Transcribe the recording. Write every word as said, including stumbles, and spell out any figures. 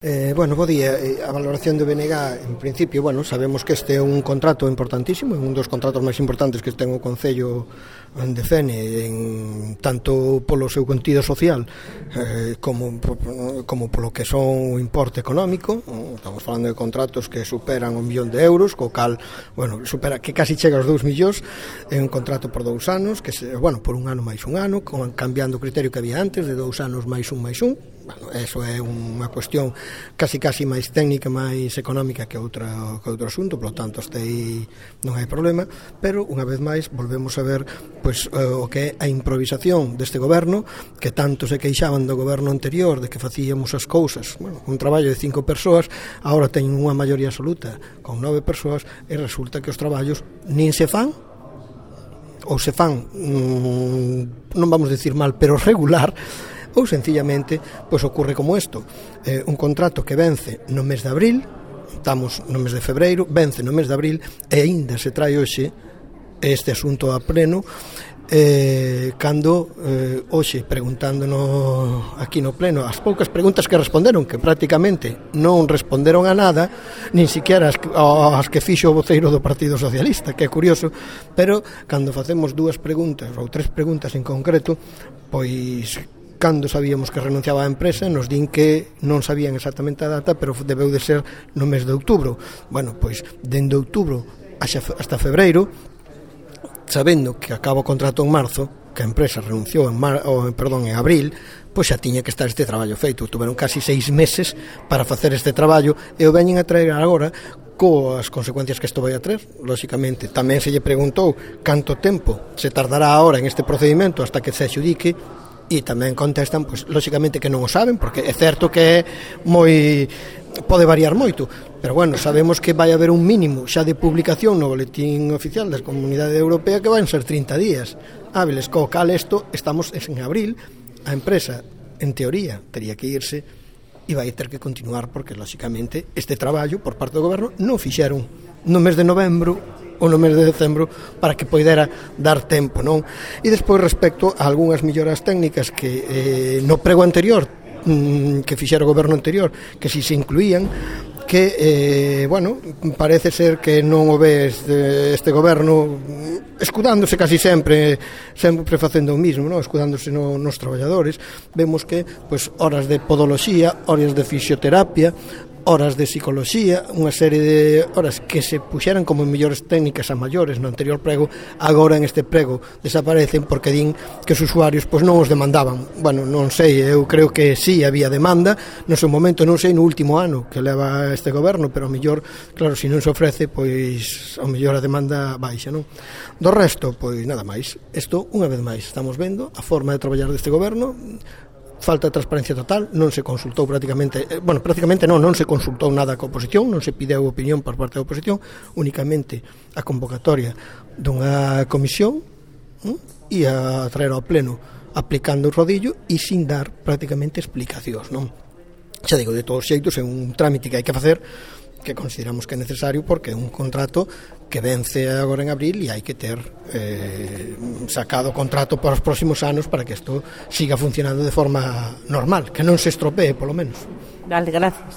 Eh, bueno, bo día. A valoración do B N G, en principio, bueno, sabemos que este é un contrato importantísimo, é un dos contratos máis importantes que ten o Concello de Fene, en, tanto polo seu contido social eh, como, como polo que son o importe económico. Estamos falando de contratos que superan un millón de euros, co cal, bueno, supera, que casi chega aos dous millóns. É un contrato por dous anos, que se, bueno, por un ano máis un ano, con, cambiando o criterio que había antes, de dous anos máis un máis un. Bueno, eso é unha cuestión casi casi máis técnica, máis económica que outra que outro asunto, por lo tanto este aí non hai problema, pero unha vez máis volvemos a ver pois o que é a improvisación deste goberno, que tanto se queixaban do goberno anterior de que facíamos as cousas, bueno, un traballo de cinco persoas, agora teñen unha maioría absoluta con nove persoas e resulta que os traballos nin se fan ou se fan mmm, non vamos a decir mal, pero regular, ou sencillamente pois ocorre como isto, eh, un contrato que vence no mes de abril, estamos no mes de febreiro, vence no mes de abril e aínda se trae hoxe este asunto a pleno, eh, cando eh, hoxe preguntándonos aquí no pleno as poucas preguntas que responderon, que prácticamente non responderon a nada, nin siquiera as, as que fixo o voceiro do Partido Socialista, que é curioso, pero cando facemos dúas preguntas ou tres preguntas en concreto, pois cando sabíamos que renunciaba a empresa, nos din que non sabían exactamente a data, pero debeu de ser no mes de outubro. Bueno, pois, dende outubro hasta febreiro, sabendo que acaba o contrato en marzo, que a empresa renunciou en, mar, oh, perdón, en abril, pois xa tiña que estar este traballo feito. Tuveron casi seis meses para facer este traballo e o veñen a traer agora coas consecuencias que isto vai a traer, lóxicamente. Tamén se lle preguntou canto tempo se tardará agora en este procedimento hasta que se adxudique, e tamén contestan, pois, lóxicamente que non o saben, porque é certo que é moi pode variar moito, pero bueno, sabemos que vai haber un mínimo xa de publicación no boletín oficial da Comunidade Europea que van ser trinta días hábiles, co cal isto estamos en abril, a empresa en teoría tería que irse e vai ter que continuar, porque lóxicamente este traballo por parte do goberno non fixeron no mes de novembro ou no mes de decembro para que poidera dar tempo, non? E despois respecto a algunhas melloras técnicas que eh, no prego anterior mm, que fixera o goberno anterior, que si se incluían, que, eh, bueno, parece ser que non o ve este, este goberno escudándose casi sempre, sempre facendo o mismo, non? Escudándose no, nos traballadores. Vemos que, pois, horas de podoloxía, horas de fisioterapia, horas de psicoloxía, unha serie de horas que se puxeran como mellores técnicas a maiores no anterior prego, agora en este prego desaparecen porque din que os usuarios pois non os demandaban. Bueno, non sei, eu creo que sí había demanda no seu momento, non sei no último ano que leva este goberno, pero ao mellor, claro, se non se ofrece, pois ao mellor a demanda baixa, non? Do resto, pois nada máis. Isto, unha vez máis, estamos vendo a forma de traballar deste goberno. Falta de transparencia total, non se consultou prácticamente, eh, bueno, prácticamente non, non se consultou nada coa oposición, non se pideu opinión por parte da oposición, únicamente a convocatoria dunha comisión hm, e a traer ao pleno aplicando o rodillo e sin dar prácticamente explicacións, non? Xa digo, de todos os xeitos é un trámite que hai que facer, que consideramos que é necesario porque é un contrato que vence agora en abril e hai que ter eh, sacado o contrato para os próximos anos para que isto siga funcionando de forma normal, que non se estropee, polo menos. Vale, gracias.